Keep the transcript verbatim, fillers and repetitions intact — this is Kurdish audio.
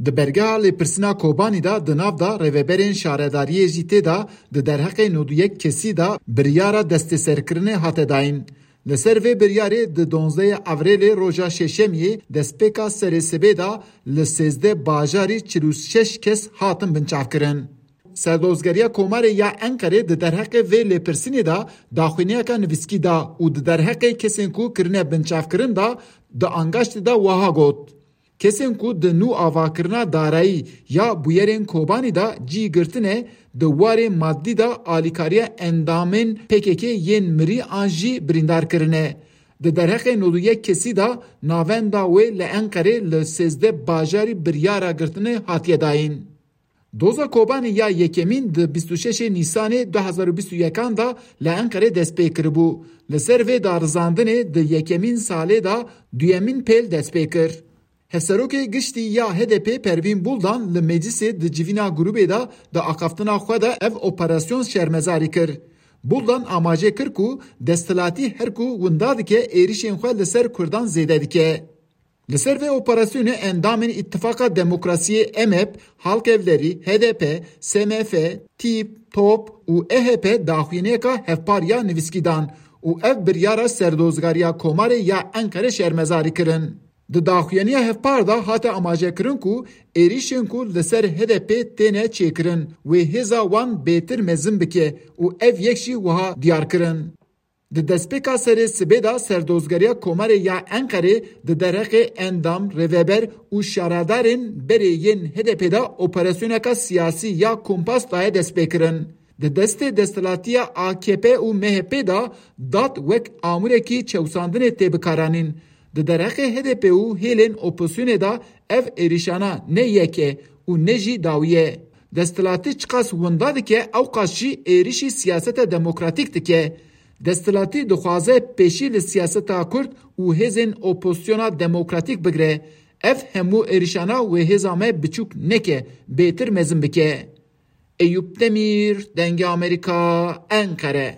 Di bergeha lêpirsîna Kobanî de di nav de rêveberên şaredariyê jî tê de di derheqê nod û yek kesî de biryara destêserkirinê hate dayîn. Li ser vê biryarê di donzdehê Evrêlê roja Şêşemiyê destpêka serê sibê de li sêzdeh bajarî çil û şeş kes hatin binçavkirin. Serdozgeriya Komarê ya Enqerê di derheqê vê lêpirsînê de daxuyaniyeka nivîskî da û di derheqê kesên ku kirine binçavkirin de di angaştê de wiha got: Kesên ku di nû avakirina darayî ya bûyerên Kobanî de cî girtine, di warê madî de alîkariya endamên P K K yên mirî an jî birîndar kirine. Di derheqê nod û yek kesî de navenda wê li Enqerê li sêzdeh bajarî biryara girtinê hatiye dayîn. Doza Kobanî ya yekemîn di bîst û şeşê Nîsanê du hezar û bîst û yekan de li Enqerê dest pê kiribû. Li ser vê darizandinê di yekemîn salê de duyemîn pêl dest pê kir. Hevserokê giştî ya H D P Pervîn Buldan li meclisê di civîna grûbê de di axaftina xwe de ev operasyon şermezarî kir. Buldan amaje kir ku desthilatî her ku winda dike êrişên xwe li ser Kurdan zêde dike. Li ser vê operasyonê endamên Îtifaqa Demokrasiyê, M H P, Halkevlerî, H D P, S M F, TÎP, TOP û E H P daxuyaniyeka hevpar ya nivîskî dan û ev biryara Serdozgariya Komarê ya Enqerê şermezarî kirin. Di daxuyaniya hevpar de hate amajekirin ku êrîşên ku li ser H D P têne çêkirin wê hêza wan bêtir mezin bike û ev yek jî wiha diyar kirin. Di destpêka serê sibê de Serdozgeriya Komarê ya Enqerê di derheqê endam, rêveber û şaredarên berê yên H D P de operasyoneka siyasî ya kumpas daye destpêkirin. Di destê desthilatiya A K P û M H P de dad wek amûrekî çewsandinê tê bikaranîn. Di derheqê H D P û hêlên opozisyonê de ev êrîşana ne yek e û ne jî dawî ye. Desthilatî çiqas winda dike, ewqas jî êrîşî siyaseta demokratîk dike. Desthilatî dixwaze pêşî li siyaseta Kurd û hêzên opozisyona demokratîk bigire. Ev hemû êrîşana wê hêza me biçûk neke, bêtir mezin bike. Eyûp Demîr, Dengê Amerîka, Enqere.